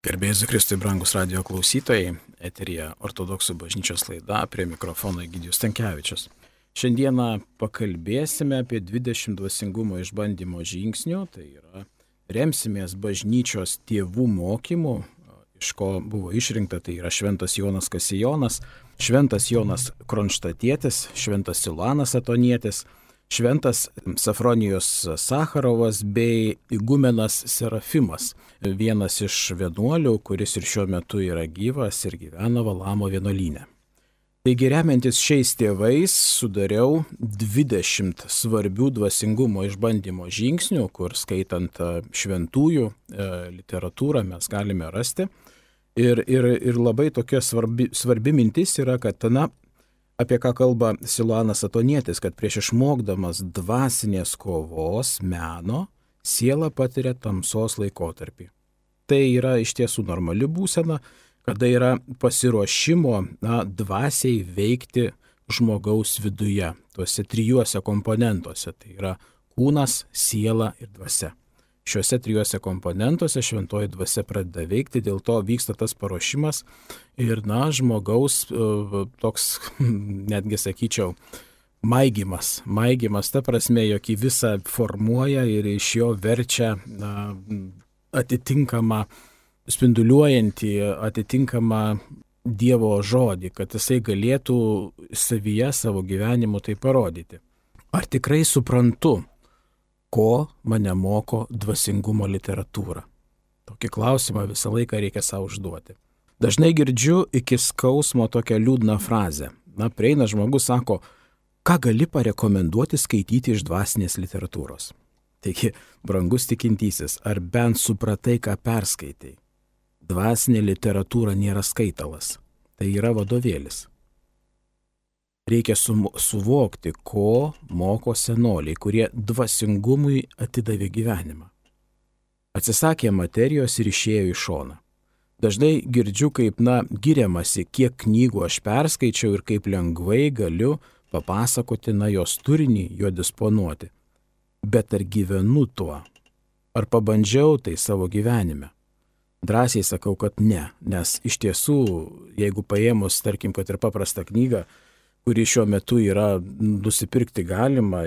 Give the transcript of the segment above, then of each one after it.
Garbėjus Kristui, brangus radio klausytojai, eteryje Ortodoksų bažnyčios laida, prie mikrofono Egidijus Stankevičius. Šiandieną pakalbėsime apie 20 dvasingumo išbandymo žingsnių, tai yra remsimės bažnyčios tėvų mokymų, iš ko buvo išrinkta, tai yra šventas Jonas Kasijonas, šventas Jonas Kronštatietis, šventas Siluanas Atonietis, šventas Safronijus Sacharovas bei igumenas Serafimas, vienas iš vienuolių, kuris ir šiuo metu yra gyvas ir gyvena Valamo vienuolyne. Taigi remiantis šiais tėvais sudariau 20 svarbių dvasingumo išbandymo žingsnių, kur skaitant šventųjų literatūrą mes galime rasti. Ir labai tokia svarbi mintis yra, kad apie ką kalba Siluanas Atonietis, kad prieš išmokdamas dvasinės kovos meno, siela patiria tamsos laikotarpį. Tai yra iš tiesų normali būsena, kada yra pasiruošimo dvasiai veikti žmogaus viduje, tuose trijuose komponentuose, tai yra kūnas, siela ir dvasia. Šiuose trijuose komponentuose šventoji dvasia pradeda veikti, dėl to vyksta tas paruošimas ir, žmogaus toks, netgi sakyčiau, maigymas, ta prasme, jog į visą formuoja ir iš jo verčia atitinkamą, spinduliuojantį, atitinkamą Dievo žodį, kad jisai galėtų savyje, savo gyvenimu tai parodyti. Ar tikrai suprantu, ko mane moko dvasingumo literatūra? Tokį klausimą visą laiką reikia savo užduoti. Dažnai girdžiu iki skausmo tokią liūdną frazę. Prieina žmogus, sako, ką gali parekomenduoti skaityti iš dvasinės literatūros? Taigi, brangus tikintysis, ar bent supratai, ką perskaitai? Dvasinė literatūra nėra skaitalas, tai yra vadovėlis. Reikia suvokti, ko moko senoliai, kurie dvasingumui atidavė gyvenimą. Atsisakė materijos ir išėjo į šoną. Dažnai girdžiu, kaip giriamasi, kiek knygų aš perskaičiau ir kaip lengvai galiu papasakoti jos turinį, jo disponuoti. Bet ar gyvenu tuo? Ar pabandžiau tai savo gyvenime? Drąsiai sakau, kad ne, nes iš tiesų, jeigu paėmus, tarkim, kad ir paprastą knygą, kuri šiuo metu yra nusipirkti galima,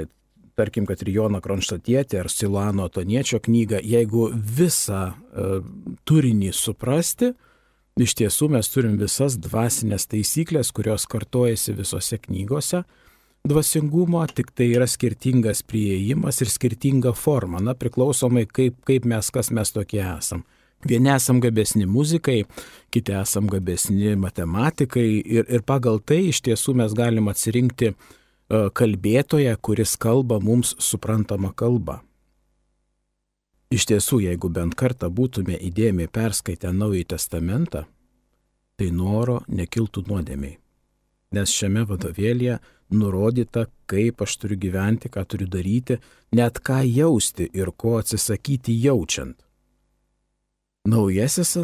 tarkim, kad ir Joną Kronštatietį ar Siluano Atoniečio knygą, jeigu visą turinį suprasti, iš tiesų mes turim visas dvasinės taisyklės, kurios kartojasi visose knygose dvasingumo, tik tai yra skirtingas priėjimas ir skirtinga forma, priklausomai kaip mes, kas mes tokie esam. Vieni esam gabesni muzikai, kiti esam gabesni matematikai ir pagal tai iš tiesų mes galim atsirinkti kalbėtoją, kuris kalba mums suprantamą kalbą. Iš tiesų, jeigu bent kartą būtume įdėmiai perskaitę Naująjį testamentą, tai noro nekiltų nuodėmei. Nes šiame vadovėlyje nurodyta, kaip aš turiu gyventi, ką turiu daryti, net ką jausti ir ko atsisakyti jaučiant. Naujasis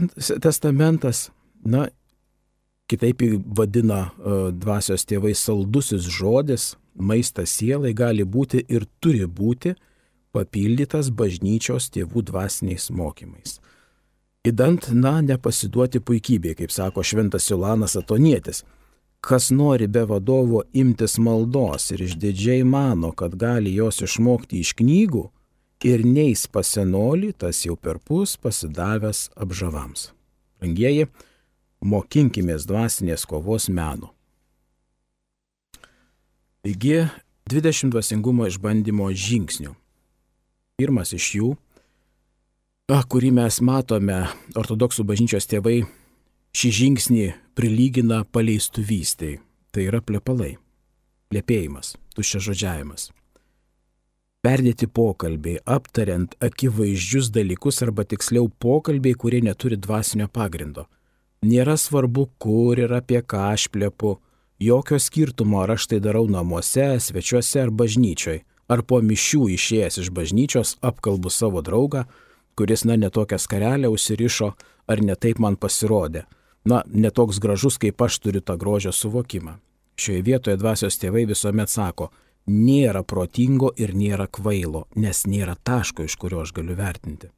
testamentas, kitaip vadina dvasios tėvai saldusis žodis, maistas sielai gali būti ir turi būti papildytas bažnyčios tėvų dvasiniais mokymais. Idant, nepasiduoti puikybė, kaip sako šventas Siluanas Atonietis. Kas nori be vadovo imtis maldos ir išdidžiai mano, kad gali jos išmokti iš knygų, ir neis pas senolį, tas jau perpus pasidavęs apžavams. Brangieji, mokinkimės dvasinės kovos meno. Taigi, 20 dvasingumo išbandymo žingsnių. Pirmas iš jų, kurį mes matome, ortodoksų bažnyčios tėvai šį žingsnį prilygina paleistuvystei. Tai yra plepalai, plepėjimas, tuščiažodžiavimas. Perdėti pokalbiai, aptariant akivaizdžius dalykus arba tiksliau pokalbiai, kurie neturi dvasinio pagrindo. Nėra svarbu, kur ir apie ką aš plepu, jokio skirtumo, ar aš tai darau namuose, svečiuose ar bažnyčioj, ar po mišių išėjęs iš bažnyčios apkalbu savo draugą, kuris netokią skarelę užsirišo, ar netaip man pasirodė. Netoks gražus, kaip aš turiu tą grožio suvokimą. Šioje vietoje dvasios tėvai visuomet sako, nėra protingo ir nėra kvailo, nes nėra taško, iš kurio aš galiu vertinti.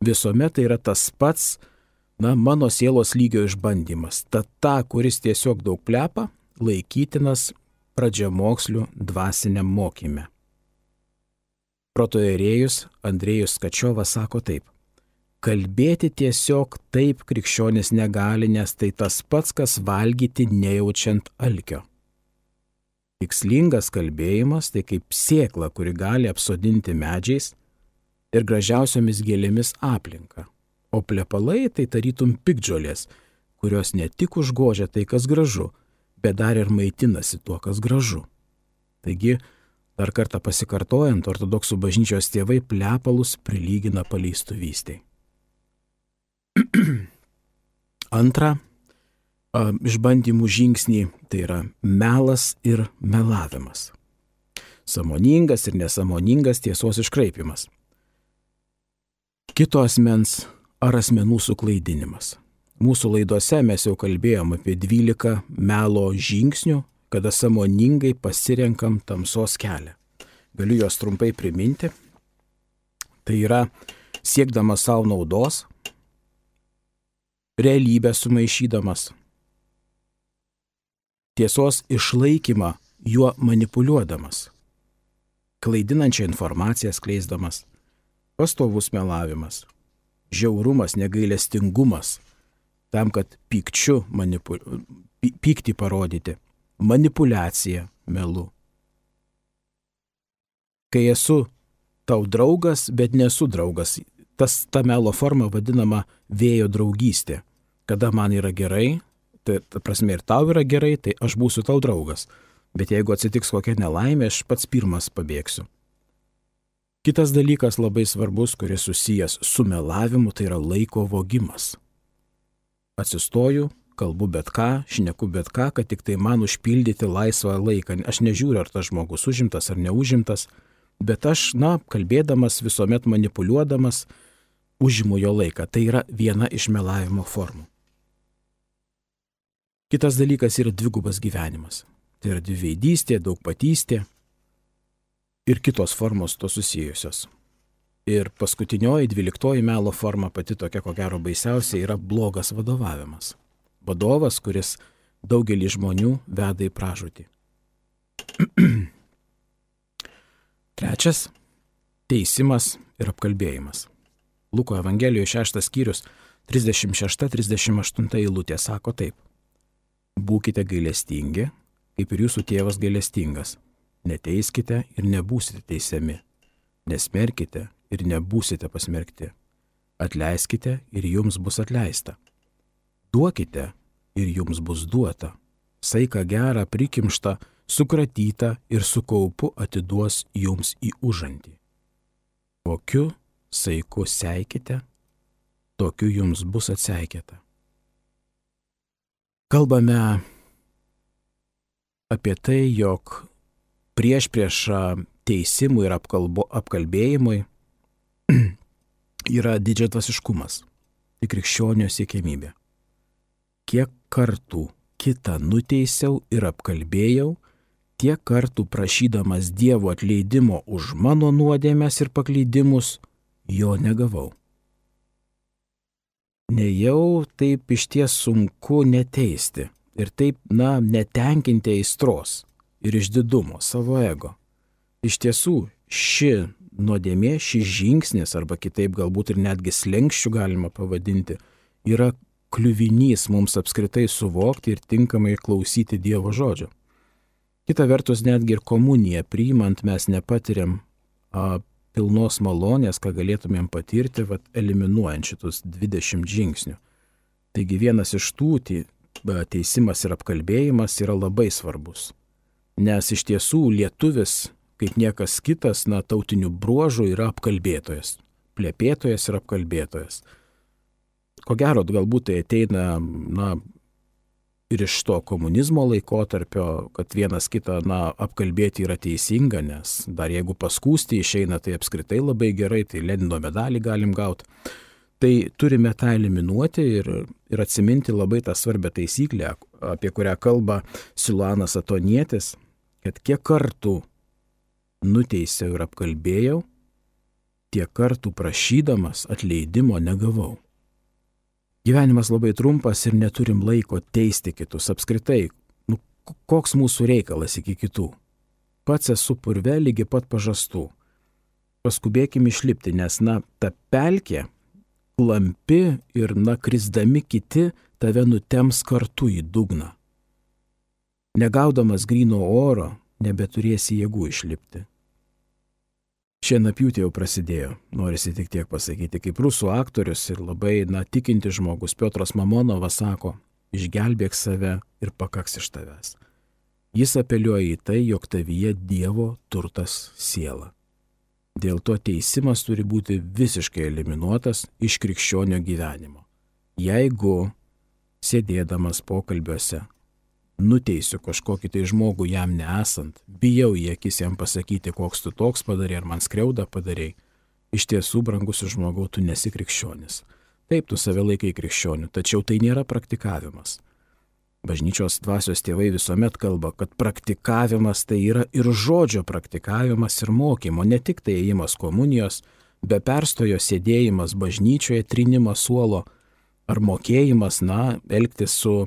Visuomet tai yra tas pats mano sielos lygio išbandymas. Tad ta, kuris tiesiog daug plepa, laikytinas pradžiamokslių dvasiniam mokyme. Protoierėjus Andrėjus Kačiovas sako taip: kalbėti tiesiog taip krikščionis negali, nes tai tas pats, kas valgyti nejaučiant alkio. Tikslingas kalbėjimas tai kaip sėkla, kuri gali apsodinti medžiais ir gražiausiomis gėlėmis aplinką, o plepalai tai tarytum piktžolės, kurios ne tik užgožia tai, kas gražu, bet dar ir maitinasi tuo, kas gražu. Taigi, dar kartą pasikartojant, ortodoksų bažnyčios tėvai plepalus prilygina paleistuvystei. Antra, išbandymų žingsnį tai yra melas ir melavimas. Sąmoningas ir nesąmoningas tiesos iškraipimas. Kito asmens ar asmenų suklaidinimas. Mūsų laidose mes jau kalbėjom apie 12 melo žingsnių, kada sąmoningai pasirenkam tamsos kelią. Galiu juos trumpai priminti. Tai yra siekdamas savo naudos, realybę sumaišydamas, tiesos išlaikymą juo manipuliuodamas, klaidinančią informaciją skleisdamas, pastovus melavimas, žiaurumas, negailestingumas, tam, kad pyktį parodyti, manipuliacija melu. Kai esu tau draugas, bet nesu draugas, ta melo forma vadinama vėjo draugystė. Kada man yra gerai, tai ta prasme ir tau yra gerai, tai aš būsiu tau draugas. Bet jeigu atsitiks kokia nelaimė, aš pats pirmas pabėgsiu. Kitas dalykas labai svarbus, kuris susijęs su melavimu, tai yra laiko vogimas. Atsistoju, kalbu bet ką, šneku bet ką, kad tik tai man užpildyti laisvą laiką. Aš nežiūriu, ar tas žmogus užimtas ar neužimtas, bet aš, kalbėdamas, visuomet manipuliuodamas, užimu jo laiką. Tai yra viena iš melavimo formų. Kitas dalykas yra dvigubas gyvenimas. Tai yra dviveidystė, daugpatystė ir kitos formos to susijusios. Ir paskutinioji, 12 melo forma, pati tokia, ko gero baisiausia, yra blogas vadovavimas. Vadovas, kuris daugelį žmonių veda į pražūtį. Trečias – teisimas ir apkalbėjimas. Luko Evangelijoje 6 skyrius 36-38 eilutė sako taip: būkite gailestingi, kaip ir jūsų tėvas gailestingas. Neteiskite ir nebūsite teisiami. Nesmerkite ir nebūsite pasmerkti. Atleiskite ir jums bus atleista. Duokite ir jums bus duota. Saiką gerą prikimštą, sukratytą ir su kaupu atiduos jums į užantį. Kokiu saiku seikite, tokiu jums bus atseikėta. Kalbame apie tai, jog prieš teisimui ir apkalbėjimui yra didžiadvasiškumas, tai krikščionio siekiamybė. Kiek kartų kitą nuteisiau ir apkalbėjau, tiek kartų prašydamas Dievo atleidimo už mano nuodėmes ir paklydimus, jo negavau. Nejau taip išties sunku neteisti ir taip, netenkinti aistros ir išdidumo, savo ego. Iš tiesų, ši nuodėmė, šis žingsnis, arba kitaip galbūt ir netgi slenkščių galima pavadinti, yra kliuvinys mums apskritai suvokti ir tinkamai klausyti Dievo žodžio. Kita vertus, netgi ir komuniją priimant mes nepatiriam pilnos malonės, ką galėtumėm patirti, eliminuojant šitus 20 žingsnių. Taigi vienas iš tų teisimas ir apkalbėjimas yra labai svarbus. Nes iš tiesų lietuvis, kaip niekas kitas, tautinių bruožų yra apkalbėtojas. Plepėtojas ir apkalbėtojas. Ko gero, galbūt tai ateina, ir iš to komunizmo laikotarpio, kad vienas kitą, apkalbėti yra teisinga, nes dar jeigu paskūsti išeina, tai apskritai labai gerai, tai Lenino medalį galim gauti. Tai turime tą eliminuoti ir atsiminti labai tą svarbią taisyklę, apie kurią kalba Siluanas Atonietis, kad kiek kartų nuteisiau ir apkalbėjau, tiek kartų prašydamas atleidimo negavau. Gyvenimas labai trumpas ir neturim laiko teisti kitus. Apskritai, koks mūsų reikalas iki kitų? Pats esu purve lygi pat pažastų. Paskubėkim išlipti, nes, ta pelkė klampi ir, krisdami kiti tave nutems kartu į dugną. Negaudamas gryno oro, nebeturėsi jėgų išlipti. Šienapjūtė jau prasidėjo, norisi tik tiek pasakyti, kaip rusų aktorius ir labai, tikinti žmogus Piotras Mamonovas sako, išgelbėk save ir pakaks iš tavęs. Jis apeliuoja į tai, jog tavyje Dievo turtas siela. Dėl to teisimas turi būti visiškai eliminuotas iš krikščionio gyvenimo. Jeigu sėdėdamas pokalbiuose nuteisiu kažkokį tai žmogų jam nesant, bijau į akis jam pasakyti, koks tu toks padarė, ar man skriaudą padarė, iš tiesų, brangusis žmogau, tu nesi krikščionis. Taip, tu save laikai krikščioniu, tačiau tai nėra praktikavimas. Bažnyčios dvasios tėvai visuomet kalba, kad praktikavimas tai yra ir žodžio praktikavimas ir mokymo, ne tik tai ėjimas komunijos, be perstojo sėdėjimas bažnyčioje, trinimas suolo ar mokėjimas, elgtis su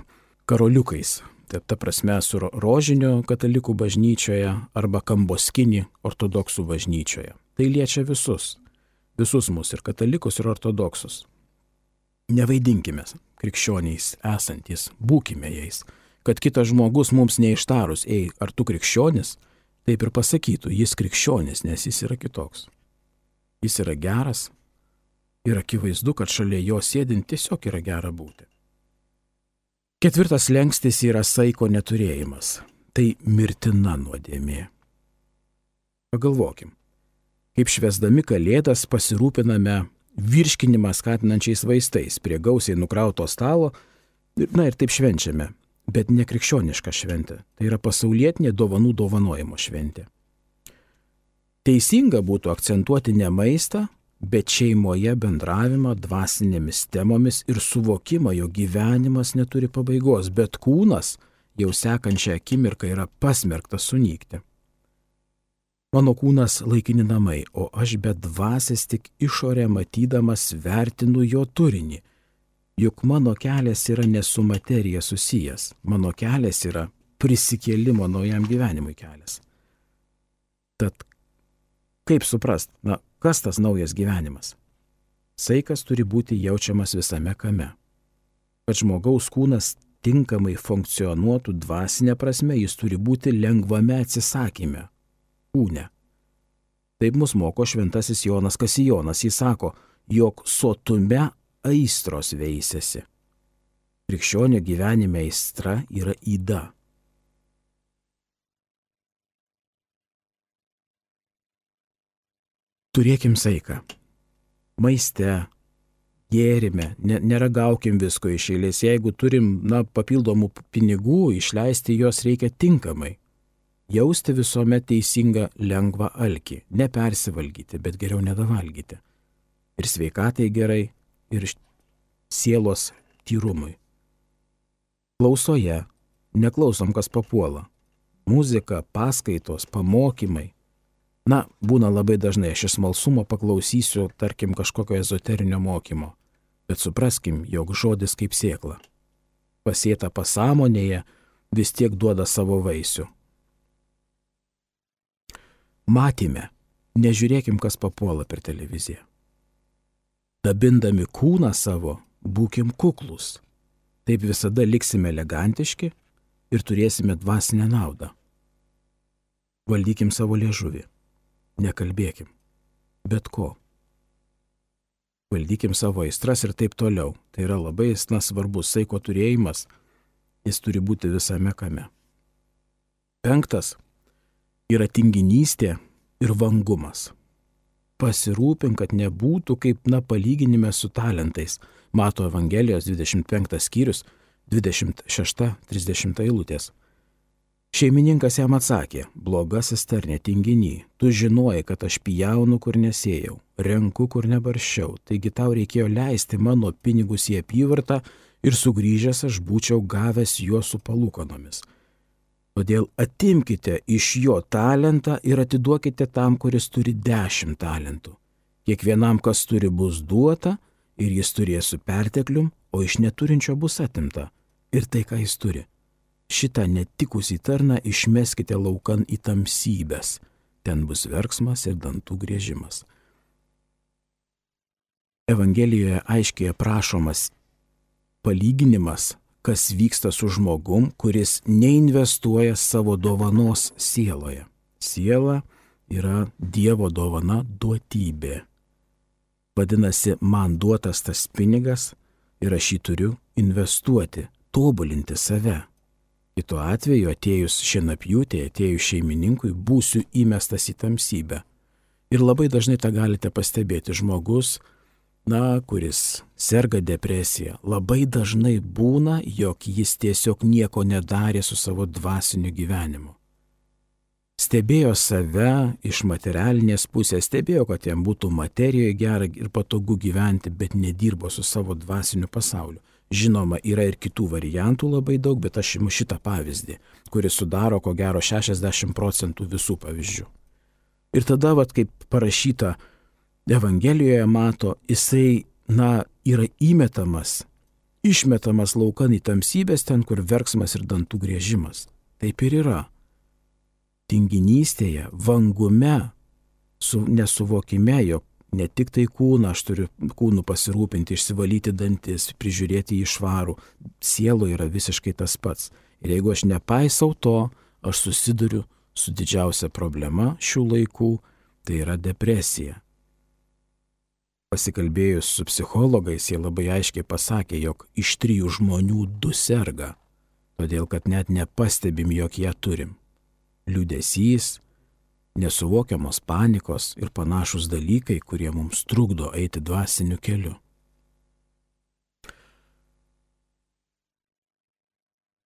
karoliukais. Ta prasme, su rožiniu katalikų bažnyčioje arba kamboskinį ortodoksų bažnyčioje. Tai liečia visus mus, ir katalikus, ir ortodoksus. Nevaidinkime krikščioniais esantys, būkime jais, kad kitas žmogus mums neištarus, ar tu krikščionis, taip ir pasakytų, jis krikščionis, nes jis yra kitoks. Jis yra geras ir akivaizdu, kad šalia jo sėdint tiesiog yra gera būti. Ketvirtas slenkstis yra saiko neturėjimas. Tai mirtina nuodėmė. Pagalvokim, kaip švęsdami Kalėdas pasirūpiname virškinimą skatinančiais vaistais prie gausiai nukrauto stalo, ir taip švenčiame, bet ne krikščioniška šventė. Tai yra pasaulietinė dovanų dovanojimo šventė. Teisinga būtų akcentuoti ne maistą, bet šeimoje bendravimą dvasinėmis temomis ir suvokimą, jo gyvenimas neturi pabaigos, bet kūnas jau sekančią akimirką yra pasmerktas sunykti. Mano kūnas laikini namai, o aš be dvasios tik išorę matydamas vertinu jo turinį. Juk mano kelias yra ne su materija susijęs, mano kelias yra prisikėlimo naujam gyvenimui kelias. Tad kaip suprast, kas tas naujas gyvenimas? Saikas turi būti jaučiamas visame kame. Kad žmogaus kūnas tinkamai funkcionuotų dvasinė prasme, jis turi būti lengvame atsisakyme, kūne. Taip mus moko šventasis Jonas Kasijonas. Jis sako, jog sotume aistros veisiasi. Krikščionio gyvenime aistra yra yda. Turėkim saiką. Maiste, gėrime, neragaukim visko iš eilės. Jeigu turim papildomų pinigų, išleisti juos reikia tinkamai. Jausti visuomet teisingą lengvą alkį. Nepersivalgyti, bet geriau nedavalgyti. Ir sveikatai gerai, ir sielos tyrumui. Klausoje neklausom, kas papuola. Muzika, paskaitos, pamokymai. Būna labai dažnai, aš iš smalsumo paklausysiu, tarkim, kažkokio ezoterinio mokymo. Bet supraskim, jog žodis kaip sėkla. Pasėta pasąmonėje vis tiek duoda savo vaisių. Matyme, nežiūrėkim, kas papuola per televiziją. Dabindami kūną savo, būkim kuklus. Taip visada liksime elegantiški ir turėsime dvasinę naudą. Valdykim savo liežuvį. Nekalbėkim. Bet ko. Valdykim savo aistras ir taip toliau. Tai yra labai svarbus saiko turėjimas. Jis turi būti visame kame. 5. Yra tinginystė ir vangumas. Pasirūpink, kad nebūtų kaip palyginime su talentais. Mato Evangelijos 25 skyrius, 26-30 eilutės. Šeimininkas jam atsakė, blogasis tarne tinginy, tu žinojai, kad aš pjaunu, kur nesėjau, renku, kur nebarščiau, taigi tau reikėjo leisti mano pinigus į apyvartą ir sugrįžęs aš būčiau gavęs juos su palūkanomis. Todėl atimkite iš jo talentą ir atiduokite tam, kuris turi 10 talentų. Kiekvienam, kas turi, bus duota ir jis turės su perteklium, o iš neturinčio bus atimta ir tai, ką jis turi. Šitą netikusį tarną išmeskite laukan į tamsybes, ten bus verksmas ir dantų griežimas. Evangelijoje aiškiai aprašomas palyginimas, kas vyksta su žmogum, kuris neinvestuoja savo dovanos sieloje. Siela yra Dievo dovana, duotybė. Vadinasi, man duotas tas pinigas ir aš jį turiu investuoti, tobulinti save. Kitu atveju atėjus šienapjūtėje, atėjus šeimininkui, būsiu įmestas į tamsybę. Ir labai dažnai tą galite pastebėti. Žmogus, kuris serga depresija, labai dažnai būna, jog jis tiesiog nieko nedarė su savo dvasiniu gyvenimu. Stebėjo save iš materialinės pusės, stebėjo, kad jam būtų materijoje gera ir patogu gyventi, bet nedirbo su savo dvasiniu pasauliu. Žinoma, yra ir kitų variantų labai daug, bet aš imu šitą pavyzdį, kuris sudaro ko gero 60% visų pavyzdžių. Ir tada, kaip parašyta Evangelijoje, mato, jisai, yra išmetamas laukan į tamsybės, ten, kur verksmas ir dantų griežimas. Taip ir yra. Tinginystėje, vangume, nesuvokime, jog ne tik tai kūną, aš turiu kūnų pasirūpinti, išsivalyti dantis, prižiūrėti jį švarų, sielo yra visiškai tas pats. Ir jeigu aš nepaisau to, aš susiduriu su didžiausia problema šių laikų, tai yra depresija. Pasikalbėjus su psichologais, jie labai aiškiai pasakė, jog iš 3 žmonių 2 serga, todėl kad net nepastebim, jog ją turim. Liūdesys, nesuvokiamos panikos ir panašus dalykai, kurie mums trukdo eiti dvasiniu keliu.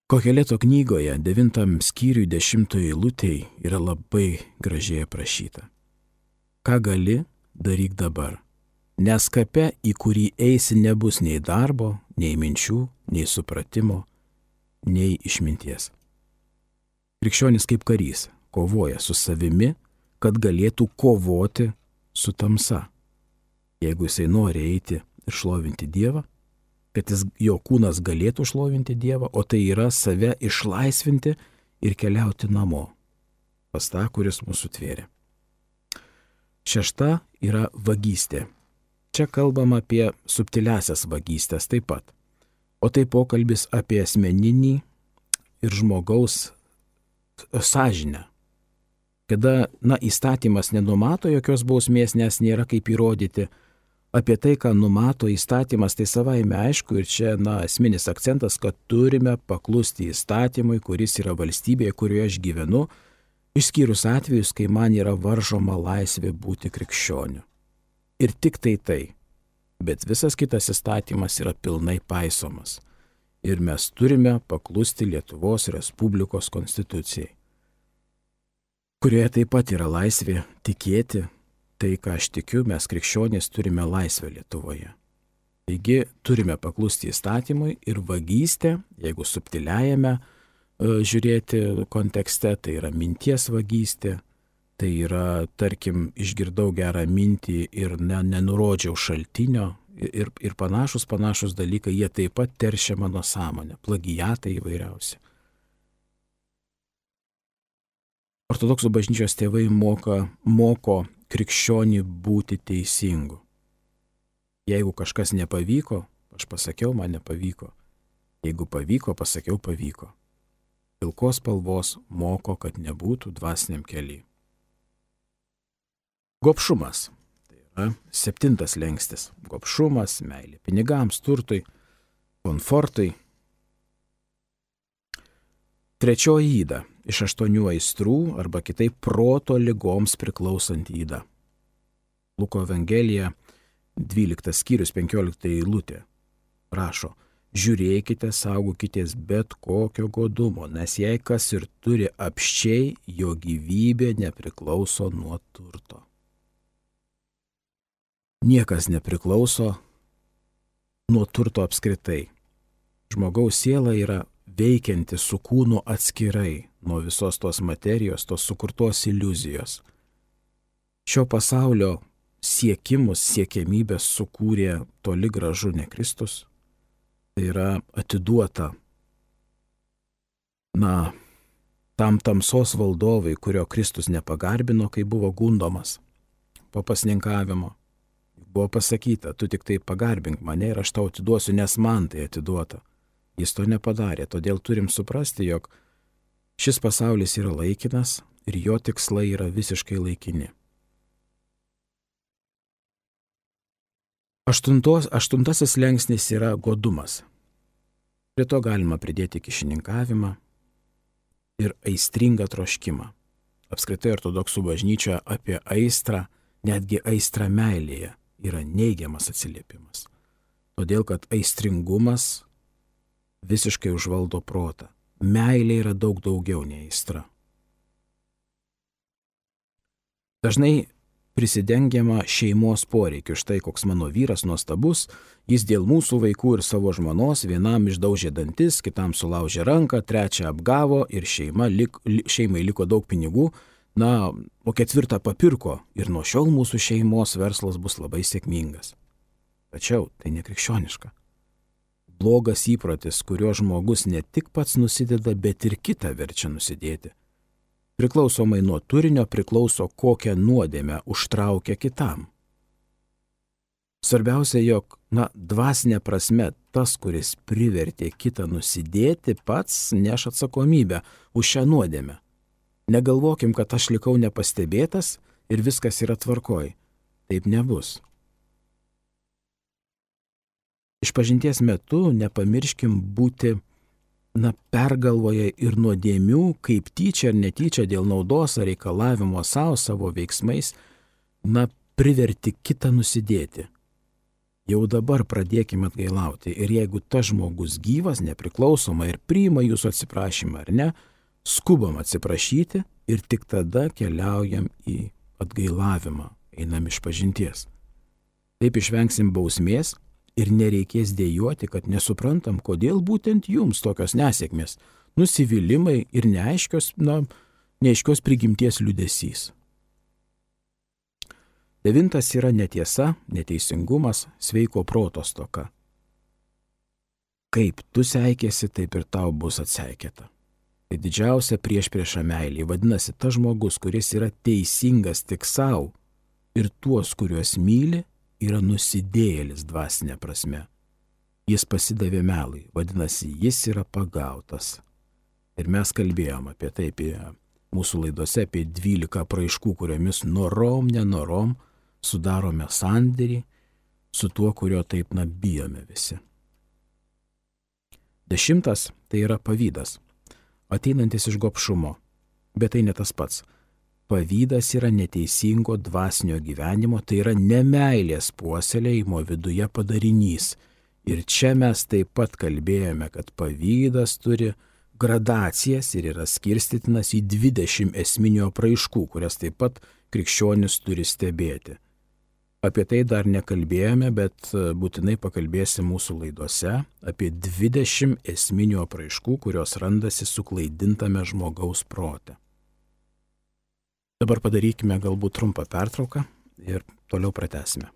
Koheleto knygoje 9 skyriui 10 eilutėj yra labai gražiai aprašyta. Ką gali, daryk dabar, nes kape, į kurį eisi, nebus nei darbo, nei minčių, nei supratimo, nei išminties. Krikščionis kaip karys kovoja su savimi, kad galėtų kovoti su tamsa. Jeigu jisai nori eiti ir šlovinti Dievą, kad jo kūnas galėtų šlovinti Dievą, o tai yra save išlaisvinti ir keliauti namo, pas tą, kuris mūsų tvėrė. 6 yra vagystė. Čia kalbam apie subtiliasias vagystės taip pat. O tai pokalbis apie asmeninį ir žmogaus sąžinę. Kada, įstatymas nenumato jokios bausmės, nes nėra kaip įrodyti. Apie tai, ką numato įstatymas, tai savaime aišku ir čia, esminis akcentas, kad turime paklusti įstatymui, kuris yra valstybėje, kurioje aš gyvenu, išskyrus atvejus, kai man yra varžoma laisvė būti krikščioniu. Ir tik tai. Bet visas kitas įstatymas yra pilnai paisomas. Ir mes turime paklusti Lietuvos Respublikos konstitucijai, kurioje taip pat yra laisvė tikėti tai, ką aš tikiu, mes krikščionys turime laisvę Lietuvoje. Taigi turime paklusti įstatymui ir vagystė, jeigu subtiliajame žiūrėti kontekste, tai yra minties vagystė, tai yra, tarkim, išgirdau gerą mintį ir nenurodžiau šaltinio ir panašus dalykai, jie taip pat teršia mano sąmonę, plagiatai įvairiausi. Ortodoksų bažnyčios tėvai moko krikščionį būti teisingu. Jeigu kažkas nepavyko, aš pasakiau, man nepavyko. Jeigu pavyko, pasakiau, pavyko. Pilkos spalvos moko, kad nebūtų dvasiniam keliui. Gobšumas. Tai yra 7 slenkstis. Gobšumas, meilė pinigams, turtui, komfortui. 3 yda. Iš 8 aistrų arba kitaip proto ligoms priklausanti yda. Luko Evangelija 12 skyrius 15 eilutė rašo: žiūrėkite, saugokitės bet kokio godumo, nes jei kas ir turi apsčiai, jo gyvybė nepriklauso nuo turto. Niekas nepriklauso nuo turto apskritai. Žmogaus siela yra veikianti su kūnu atskirai nuo visos tos materijos, tos sukurtos iliuzijos. Šio pasaulio siekimus, siekiamybės sukūrė toli gražu ne Kristus. Tai yra atiduota, tam tamsos valdovui, kurio Kristus nepagarbino, kai buvo gundomas po pasninkavimo. Buvo pasakyta, tu tik tai pagarbink mane ir aš tau atiduosiu, nes man tai atiduota. Jis to nepadarė, todėl turim suprasti, jog šis pasaulis yra laikinas ir jo tikslai yra visiškai laikini. Aštuntasis slengsnis yra godumas. Prie to galima pridėti kyšininkavimą ir aistringą troškimą. Apskritai ortodoksų bažnyčia apie aistrą, netgi aistrą meilėje, yra neigiamas atsiliepimas. Todėl, kad aistringumas visiškai užvaldo protą. Meilė yra daug daugiau nei aistra. Dažnai prisidengiama šeimos poreikiu. Štai koks mano vyras nuostabus, jis dėl mūsų vaikų ir savo žmonos vienam išdaužė dantis, kitam sulaužė ranką, trečią apgavo ir šeimai liko daug pinigų, o ketvirtą papirko ir nuo šiol mūsų šeimos verslas bus labai sėkmingas. Tačiau tai nekrikščioniška. Blogas įprotis, kurio žmogus ne tik pats nusideda, bet ir kitą verčia nusidėti. Priklausomai nuo turinio priklauso, kokią nuodėmę užtraukia kitam. Svarbiausia, jog, dvasinė prasme, tas, kuris privertė kitą nusidėti, pats neš atsakomybę už šią nuodėmę. Negalvokim, kad aš likau nepastebėtas ir viskas yra tvarkoj. Taip nebus. Išpažinties metu nepamirškim būti pergalvoje ir nuodėmių, kaip tyčia ar netyčia dėl naudos ar reikalavimo savo veiksmais, priverti kitą nusidėti. Jau dabar pradėkime atgailauti ir jeigu tas žmogus gyvas, nepriklausoma ir priima jūsų atsiprašymą ar ne, skubam atsiprašyti ir tik tada keliaujam į atgailavimą, einam išpažinties. Taip išvengsim bausmės ir nereikės dejuoti, kad nesuprantam, kodėl būtent jums tokios nesėkmės, nusivylimai ir neaiškios prigimties liūdesys. 9 yra netiesa, neteisingumas, sveiko proto stoka. Kaip tu seikėsi, taip ir tau bus atseikėta. Tai didžiausia priešprieša meilė. Vadinasi, tas žmogus, kuris yra teisingas tik savo ir tuos, kuriuos myli, yra nusidėjėlis dvasinė prasme. Jis pasidavė melui, vadinasi, jis yra pagautas. Ir mes kalbėjom apie tai, apie mūsų laidose, apie 12 apraiškų, kuriomis nenorom sudarome sandėrį su tuo, kurio taip bijome visi. 10 tai yra pavydas, ateinantis iš gobšumo, bet tai ne tas pats. Pavydas yra neteisingo dvasinio gyvenimo, tai yra nemeilės puoselėjimo viduje padarinys. Ir čia mes taip pat kalbėjome, kad pavydas turi gradacijas ir yra skirstytinas į 20 esminių apraiškų, kurias taip pat krikščionis turi stebėti. Apie tai dar nekalbėjome, bet būtinai pakalbėsim mūsų laidose apie 20 esminių apraiškų, kurios randasi suklaidintame žmogaus prote. Dabar padarykime galbūt trumpą pertrauką ir toliau pratęsime.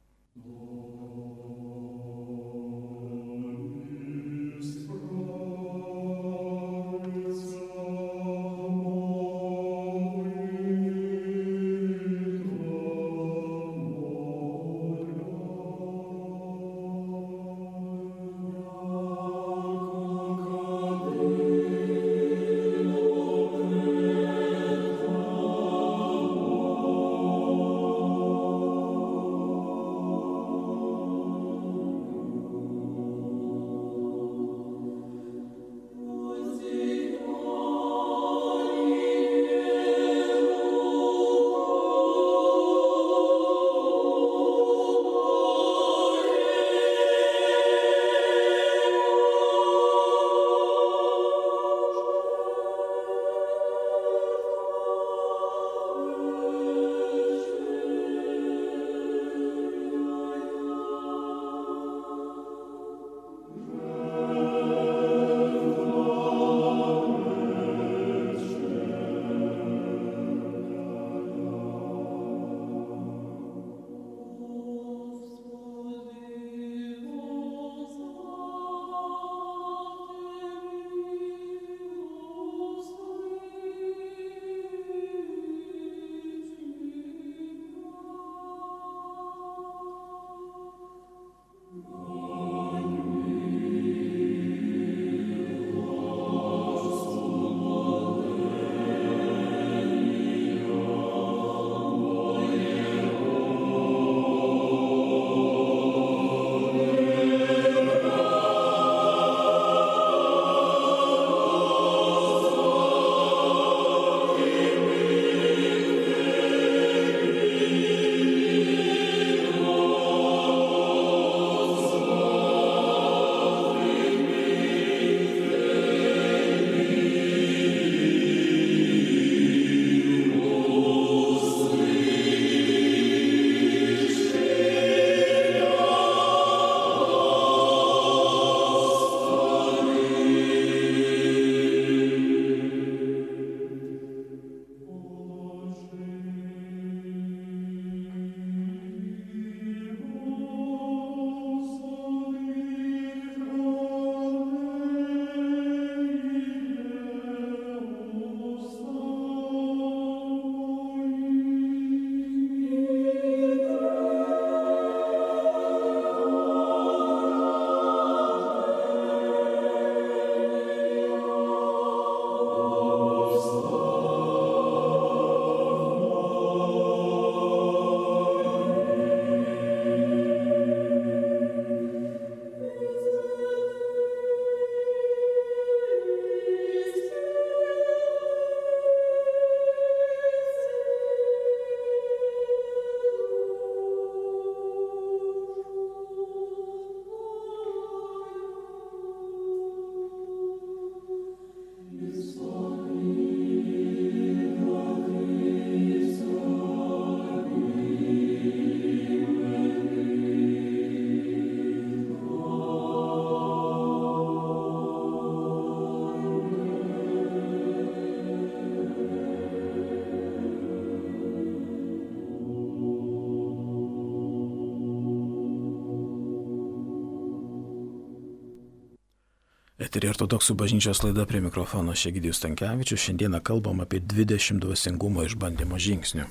Eterį ortodoksų bažnyčios laida, prie mikrofono Egidijus Stankevičius. Šiandieną kalbam apie 20 dvasingumo išbandymo žingsnių.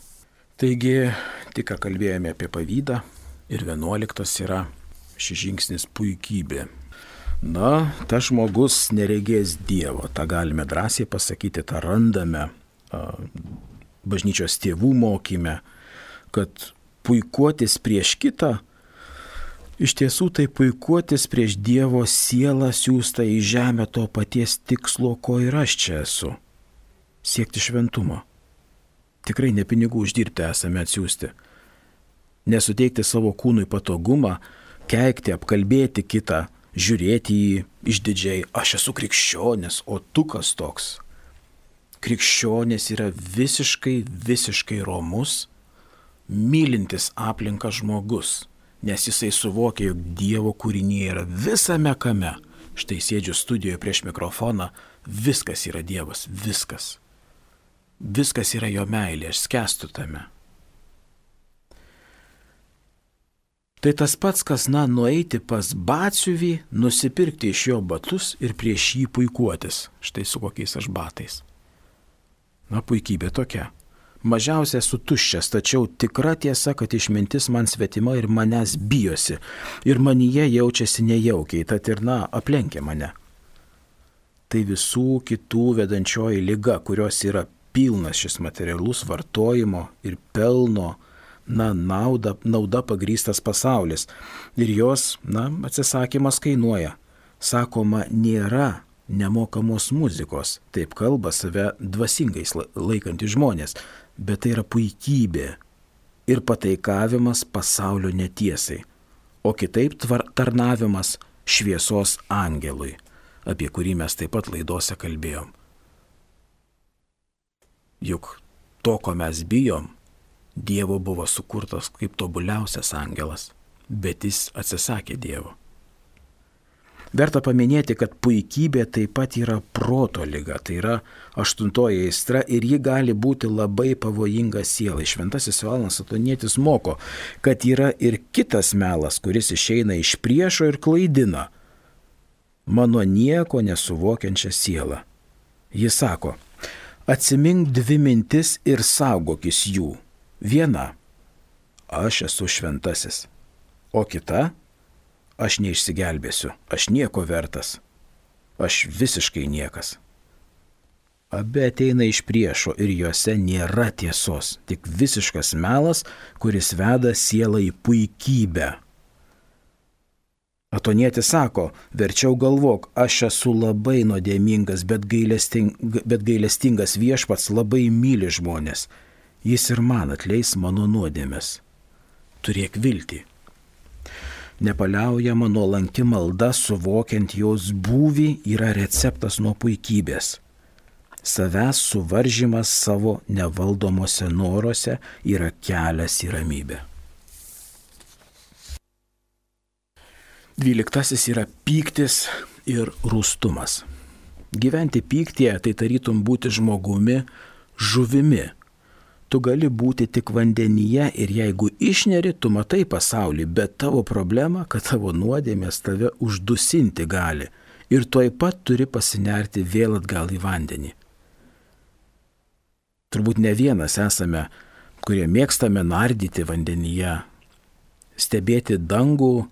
Taigi, tik ką kalbėjome apie pavydą ir 11 yra šis žingsnis puikybė. Na, tas žmogus neregės Dievo, tą galime drąsiai pasakyti, tą randame bažnyčios tėvų mokyme, kad puikuotis prieš kitą, iš tiesų tai puikuotis prieš Dievo sielą siųstą į žemę to paties tikslo, ko ir aš čia esu - siekti šventumo. Tikrai ne pinigų uždirbti esame atsiųsti. Nesuteikti savo kūnui patogumą, keikti, apkalbėti kitą, žiūrėti jį išdidžiai, aš esu krikščionis, o tu kas toks. Krikščionis yra visiškai romus, mylintis aplinką žmogus. Nes jisai suvokia, jog Dievo kūrinyje yra visame kame. Štai sėdžiu studijoje prieš mikrofoną, viskas yra Dievas, viskas. Viskas yra jo meilė, aš skęstu tame. Tai tas pats, kas, nueiti pas batsiuvį, nusipirkti iš jo batus ir prieš jį puikuotis. Štai su kokiais aš batais. Puikybė tokia. Mažiausia esu tuščias, tačiau tikra tiesa, kad išmintis man svetima ir manęs bijosi. Ir manyje jaučiasi nejaukiai, tad ir aplenkia mane. Tai visų kitų vedančioji liga, kurios yra pilnas šis materialus vartojimo ir pelno, nauda pagrįstas pasaulis. Ir jos, atsisakymas kainuoja. Sakoma, nėra nemokamos muzikos. Taip kalba save dvasingais laikantys žmonės. Bet tai yra puikybė ir pataikavimas pasaulio netiesai, o kitaip tarnavimas šviesos angelui, apie kurį mes taip pat laidose kalbėjom. Juk to, ko mes bijom, Dievo buvo sukurtas kaip tobuliausias angelas, bet jis atsisakė Dievo. Verta paminėti, kad puikybė taip pat yra proto liga, tai yra 8 aistra ir ji gali būti labai pavojinga sielai. Šventasis Jonas Atonietis moko, kad yra ir kitas melas, kuris išeina iš priešo ir klaidina mano nieko nesuvokiančią sielą. Jis sako, atsimink 2 mintis ir saugokis jų. Viena, aš esu šventasis, o kita, aš neišsigelbėsiu, aš nieko vertas, aš visiškai niekas. Abi ateina iš priešo ir juose nėra tiesos, tik visiškas melas, kuris veda sielą į puikybę. Atonietis sako, verčiau galvok, aš esu labai nuodėmingas, bet gailestingas Viešpats labai myli žmonės. Jis ir man atleis mano nuodėmes. Turėk viltį. Nepaliaujama nuolanki malda, suvokiant jos būvį, yra receptas nuo puikybės. Savęs suvaržymas savo nevaldomose noruose yra kelias į ramybę. 12 yra pyktis ir rūstumas. Gyventi pyktyje tai tarytum būti žmogumi, žuvimi. Tu gali būti tik vandenyje ir jeigu išneri, tu matai pasaulį, bet tavo problema, kad tavo nuodėmės tave uždusinti gali ir tuoj pat turi pasinerti vėl atgal į vandenį. Turbūt ne vienas esame, kurie mėgstame nardyti vandenyje, stebėti dangų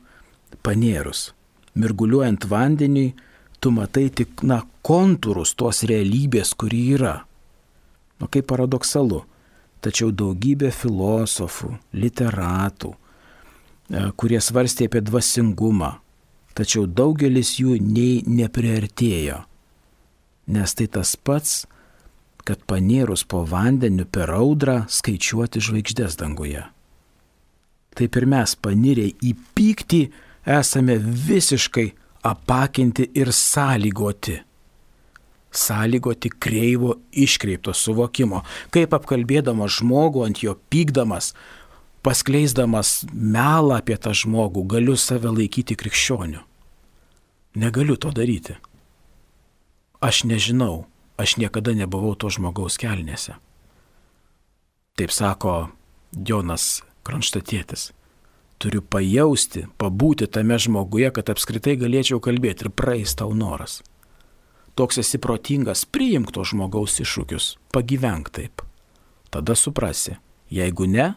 panėrus. Mirguliuojant vandeniui, tu matai tik kontūrus tos realybės, kuri yra. Kaip paradoksalu. Tačiau daugybė filosofų, literatų, kurie svarstė apie dvasingumą, tačiau daugelis jų nei nepriartėjo. Nes tai tas pats, kad panėrus po vandeniu per audrą skaičiuoti žvaigždės danguje. Taip ir mes panirę į pyktį esame visiškai apakinti ir sąlygoti kreivo iškreipto suvokimo, kaip apkalbėdamas žmogų, ant jo pykdamas, paskleisdamas melą apie tą žmogų, galiu save laikyti krikščioniu. Negaliu to daryti. Aš nežinau, aš niekada nebuvau to žmogaus kelnėse. Taip sako Jonas Kronštatietis. turiu pajausti, pabūti tame žmoguje, kad apskritai galėčiau kalbėti ir praeis tau noras. Toks esi protingas, priimk to žmogaus iššūkius, pagyvenk taip. Tada suprasi, jeigu ne,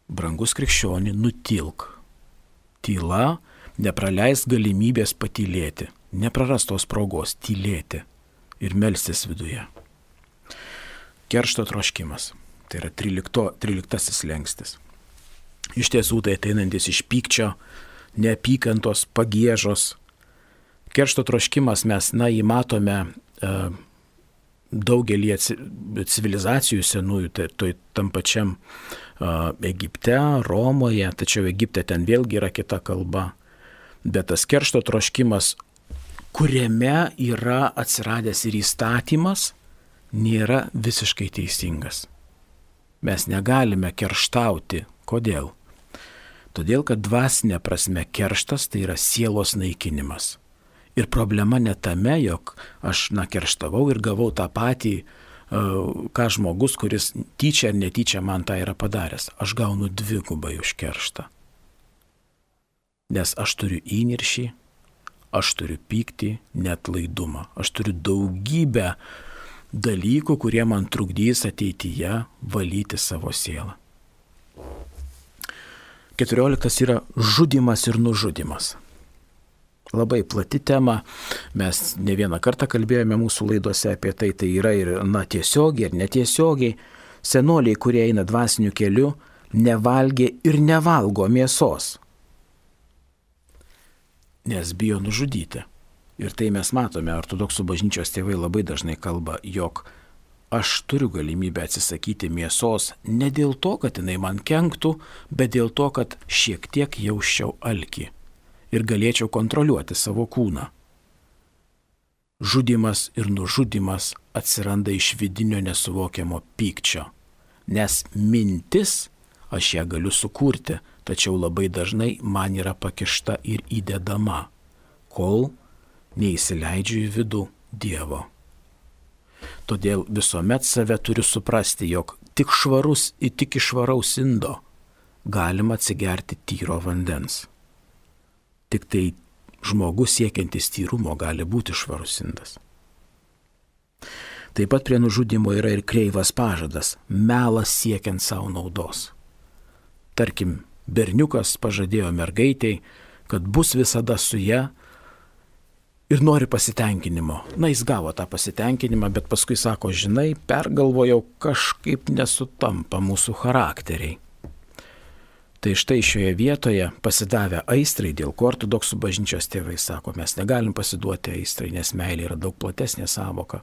brangus krikščioni, nutilk. Tyla, nepraleis galimybės patylėti, neprarastos progos tylėti ir melstis viduje. Keršto troškimas, tai yra 13 slengstis. Iš tiesų tai ateinantis iš pykčio, neapykantos, pagiežos. Keršto troškimas mes, jį matome daugelį civilizacijų senųjų, tam pačiam Egipte, Romoje, tačiau Egipte ten vėlgi yra kita kalba. Bet tas keršto troškimas, kuriame yra atsiradęs ir įstatymas, nėra visiškai teisingas. Mes negalime kerštauti. Kodėl? Todėl, kad dvasinė prasme kerštas tai yra sielos naikinimas. Ir problema ne tame, jog aš kerštavau ir gavau tą patį, ką žmogus, kuris tyčia ar netyčia man tą yra padaręs. Aš gaunu dvigubai už kerštą. Nes aš turiu įniršį, aš turiu pyktį, neatlaidumą. Aš turiu daugybę dalykų, kurie man trukdys ateityje valyti savo sielą. 14 yra žudymas ir nužudymas. Labai plati tema, mes ne vieną kartą kalbėjome mūsų laidose apie tai, tai yra ir tiesiogiai ir netiesiogiai. Senoliai, kurie eina dvasiniu keliu, nevalgė ir nevalgo mėsos, nes bijo nužudyti. Ir tai mes matome, ortodoksų bažnyčios tėvai labai dažnai kalba, jog aš turiu galimybę atsisakyti mėsos ne dėl to, kad jinai man kenktų, bet dėl to, kad šiek tiek jausčiau alkį ir galėčiau kontroliuoti savo kūną. Žudymas ir nužudymas atsiranda iš vidinio nesuvokiamo pykčio, nes mintis aš ją galiu sukurti, tačiau labai dažnai man yra pakišta ir įdedama, kol neįsileidžiu į vidų Dievo. Todėl visuomet save turiu suprasti, jog tik iš švaraus indo galima atsigerti tyro vandens. Tik tai žmogus siekiantis tyrumo gali būti švarus indas. Taip pat prie nužudimo yra ir kreivas pažadas, melas siekiant savo naudos. Tarkim, berniukas pažadėjo mergaitei, kad bus visada su ja, ir nori pasitenkinimo. Jis gavo tą pasitenkinimą, bet paskui sako, žinai, pergalvojau, kažkaip nesutampa mūsų charakteriai. Tai štai šioje vietoje pasidavę aistrai, dėl ko ortodoksų bažnyčios tėvai sako, mes negalim pasiduoti aistrai, nes meilė yra daug platesnė sąvoka.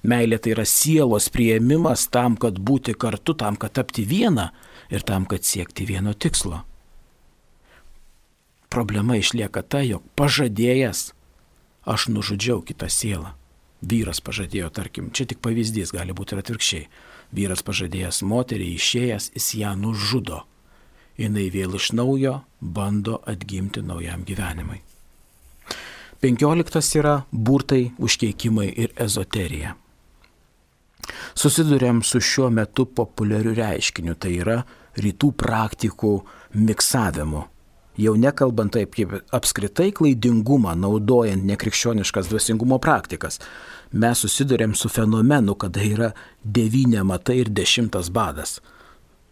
Meilė tai yra sielos priėmimas tam, kad būti kartu, tam, kad tapti vieną ir tam, kad siekti vieno tikslo. Problema išlieka ta, jog pažadėjęs aš nužudžiau kitą sielą. Vyras pažadėjo, tarkim, čia tik pavyzdys, gali būti ir atvirkščiai. Vyras pažadėjęs moteriai, išėjęs, jis ją nužudo. Jinai vėl iš naujo bando atgimti naujam gyvenimui. 15 yra burtai, užkeikimai ir ezoterija. Susiduriam su šiuo metu populiariu reiškiniu, tai yra rytų praktikų miksavimu. Jau nekalbant taip kaip apskritai klaidingumą naudojant nekrikščioniškas dvasingumo praktikas, mes susidurėm su fenomenu, kada yra 9 matai ir 10 badas.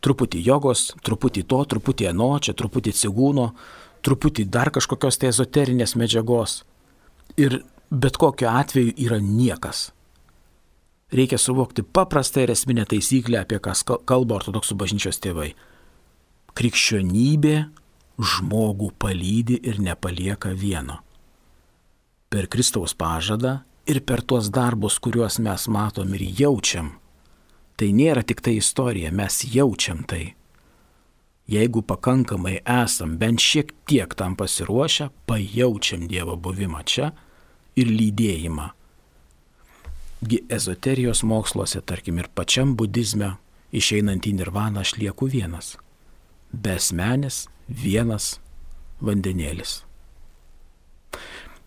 Truputį jogos, truputį to, truputį ano, čia truputį cigūno, truputį dar kažkokios tai ezoterinės medžiagos. Ir bet kokiu atveju yra niekas. Reikia suvokti paprastą ir esminę taisyklę, apie ką kalba ortodoksų bažnyčios tėvai. Krikščionybė žmogų palydi ir nepalieka vieno. Per Kristaus pažadą ir per tuos darbus, kuriuos mes matom ir jaučiam. Tai nėra tik tai istorija, mes jaučiam tai. Jeigu pakankamai esam bent šiek tiek tam pasiruošę, pajaučiam Dievo buvimą čia ir lydėjimą. Ezoterijos moksluose, tarkim ir pačiam budizme, išeinant į nirvaną aš lieku vienas. Besmenis, vienas vandenėlis.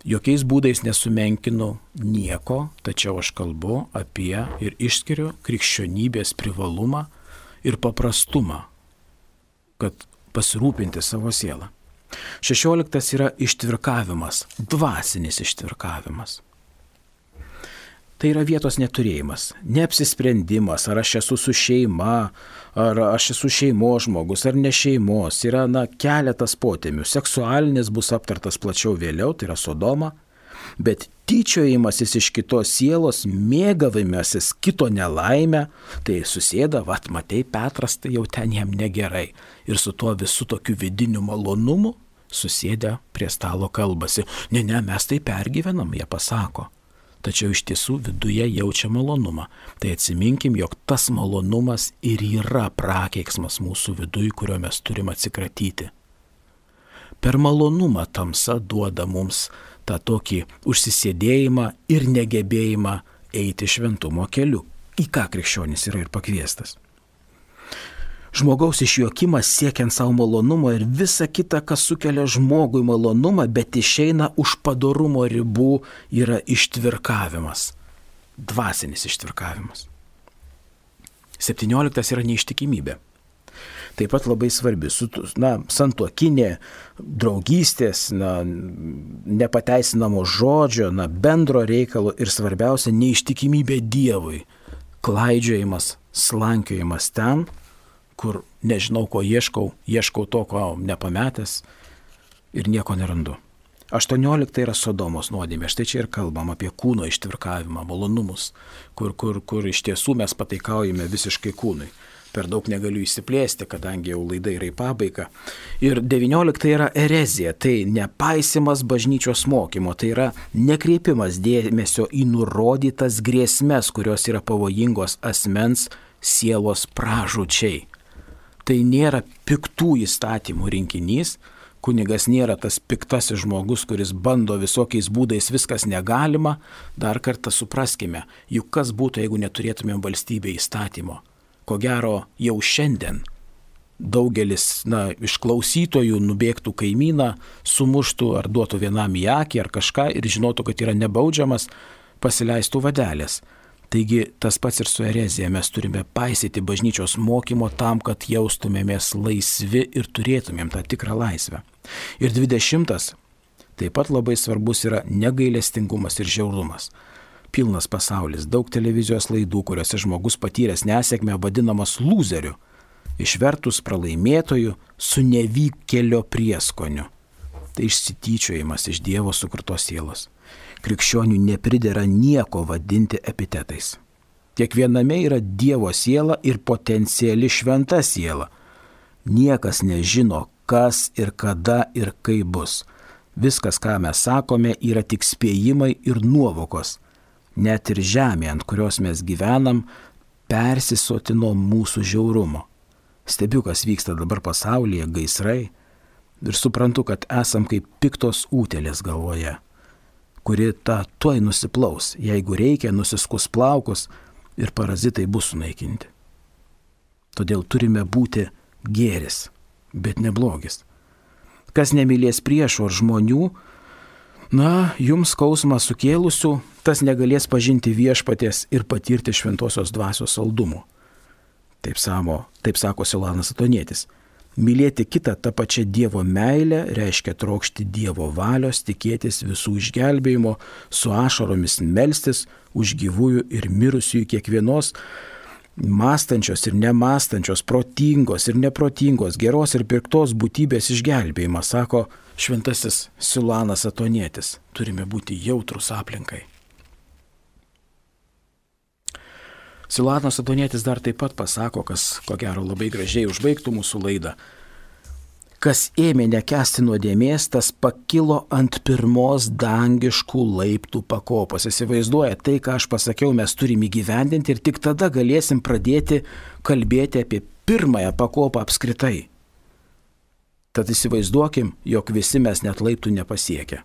Jokiais būdais nesumenkinu nieko, tačiau aš kalbu apie ir išskiriu krikščionybės privalumą ir paprastumą, kad pasirūpinti savo sielą. 16 yra ištvirkavimas, dvasinis ištvirkavimas. Tai yra vietos neturėjimas, neapsisprendimas, ar aš esu su šeima, ar aš esu šeimos žmogus, ar ne šeimos. Yra keletas potėmių. Seksualinis bus aptartas plačiau vėliau, tai yra Sodoma, bet tyčiojimasis iš kitos sielos, mėgavimasis kito nelaimę, tai susėda, matei, Petras, tai jau ten jam negerai. Ir su tuo visų tokiu vidiniu malonumu susėdę prie stalo kalbasi. Ne, mes tai pergyvenam, jie pasako. Tačiau iš tiesų viduje jaučia malonumą. Tai atsiminkim, jog tas malonumas ir yra prakeiksmas mūsų viduj, kurio mes turim atsikratyti. Per malonumą tamsa duoda mums tą tokį užsisėdėjimą ir negebėjimą eiti šventumo keliu, į ką krikščionis yra ir pakviestas. Žmogaus išjuokimas siekiant savo malonumo ir visa kita, kas sukelia žmogui malonumą, bet išeina už padorumo ribų, yra ištvirkavimas. Dvasinis ištvirkavimas. 17 yra neištikimybė. Taip pat labai svarbi, santuokinė, draugystės, nepateisinamo žodžio, bendro reikalo ir svarbiausia neištikimybė Dievui. Klaidžiojimas, slankiojimas ten, kur nežinau, ko ieškau to, ko nepametęs ir nieko nerandu. 18 yra Sodomos nuodėmė. Štai čia ir kalbam apie kūno ištvirkavimą, malonumus, kur iš tiesų mes pataikaujame visiškai kūnui. Per daug negaliu įsiplėsti, kadangi jau laida yra į pabaigą. Ir 19 yra erezija, tai nepaisimas bažnyčios mokymo, tai yra nekreipimas dėmesio į nurodytas grėsmes, kurios yra pavojingos asmens sielos pražūčiai. Tai nėra piktų įstatymų rinkinys, kunigas nėra tas piktasis žmogus, kuris bando visokiais būdais viskas negalima. Dar kartą supraskime, juk kas būtų, jeigu neturėtumėm valstybėje įstatymo. Ko gero jau šiandien daugelis iš klausytojų nubėgtų kaimyną, sumuštų ar duotų vienam į akį ar kažką ir žinotų, kad yra nebaudžiamas, pasileistų vadelės. Taigi tas pats ir su erezija, mes turime paisyti bažnyčios mokymo tam, kad jaustumėmės laisvi ir turėtumėm tą tikrą laisvę. Ir 20 taip pat labai svarbus yra negailestingumas ir žiaurumas. Pilnas pasaulis, daug televizijos laidų, kuriuose žmogus patyręs nesėkmę vadinamas lūzeriu, išvertus pralaimėtoju su nevykėlio prieskoniu. Tai išsityčiojimas iš Dievo sukurtos sielos. Krikščionių nepridera nieko vadinti epitetais. Kiekviename yra Dievo siela ir potenciali šventa siela. Niekas nežino, kas ir kada ir kaip bus. Viskas, ką mes sakome, yra tik spėjimai ir nuovokos. Net ir žemė, ant kurios mes gyvenam, persisotino mūsų žiaurumo. Stebiu, kas vyksta dabar pasaulyje, gaisrai, ir suprantu, kad esam kaip piktos utėlės galvoje, kuri tuoj nusiplaus, jeigu reikia, nusiskus plaukus ir parazitai bus sunaikinti. Todėl turime būti gėris, bet ne blogis. Kas nemylės priešų ar žmonių, jums skausmą sukėlusių, tas negalės pažinti viešpaties ir patirti šventosios dvasios saldumo. Taip sako Silanas Atonietis. Mylėti kitą tą pačią Dievo meilę reiškia trokšti Dievo valios, tikėtis visų išgelbėjimo, su ašaromis melstis už gyvųjų ir mirusiųjų kiekvienos mąstančios ir nemąstančios, protingos ir neprotingos, geros ir piktos būtybės išgelbėjimą, sako šventasis Silanas Atonietis. Turime būti jautrus aplinkai. Silanas Atonietis dar taip pat pasako, kas ko gero labai gražiai užbaigtų mūsų laidą. Kas ėmė nekęsti nuodėmės, tas pakilo ant pirmos dangiškų laiptų pakopos. Įsivaizduoja, tai, ką aš pasakiau, mes turime įgyvendinti ir tik tada galėsim pradėti kalbėti apie pirmąją pakopą apskritai. Tad įsivaizduokim, jog visi mes net laiptų nepasiekę.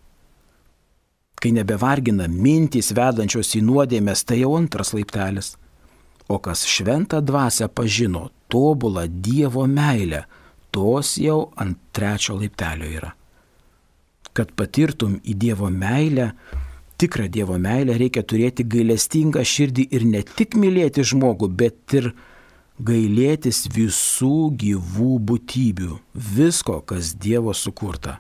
Kai nebevargina mintys vedančios į nuodėmės, tai jau antras laiptelis. O kas šventą dvasią pažino, tobulą Dievo meilę, tos jau ant 3 laiptelio yra. Kad patirtum į Dievo meilę, tikrą Dievo meilę, reikia turėti gailestingą širdį ir ne tik mylėti žmogų, bet ir gailėtis visų gyvų būtybių, visko, kas Dievo sukurta.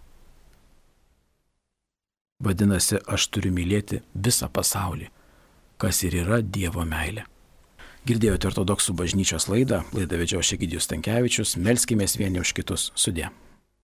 Vadinasi, aš turiu mylėti visą pasaulį, kas ir yra Dievo meilė. Girdėjote Ortodoksų bažnyčios laidą vedžiau aš Egidijus Stankevičius, melskimės vieni už kitus. Sudie.